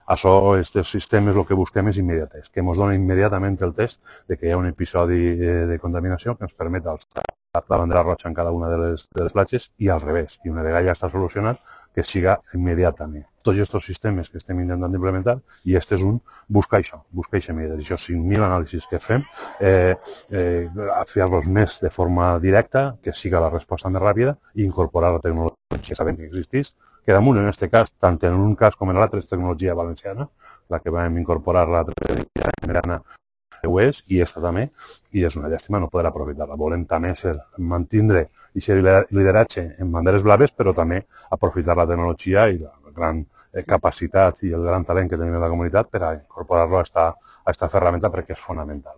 Això, aquests sistemes, el que busquem és immediatesa, que ens doni immediatament el test de que hi ha un episodi de contaminació que ens permet alçar la bandera roja en cada una de les platges i al revés, i una vegada ja està solucionat, que siga immediatament. Tots aquests sistemes que estem intentant implementar, i este és un, buscar això immediatesa. Això 5.000 anàlisis que fem, fer-los més de forma directa, que siga la resposta més ràpida, i incorporar la tecnologia que sabem que existeix, que damunt, en aquest cas, tant en un cas com en l'altre, és tecnologia valenciana, la que vam incorporar l'altre dia en Grana, ho és, i aquesta també, i és una llàstima no poder aprofitar-la. Volem també mantindre aquest lideratge en banderes blaves, però també aprofitar la tecnologia i la gran capacitat i el gran talent que tenim en la comunitat per a incorporar-lo a aquesta ferramenta perquè és fonamental.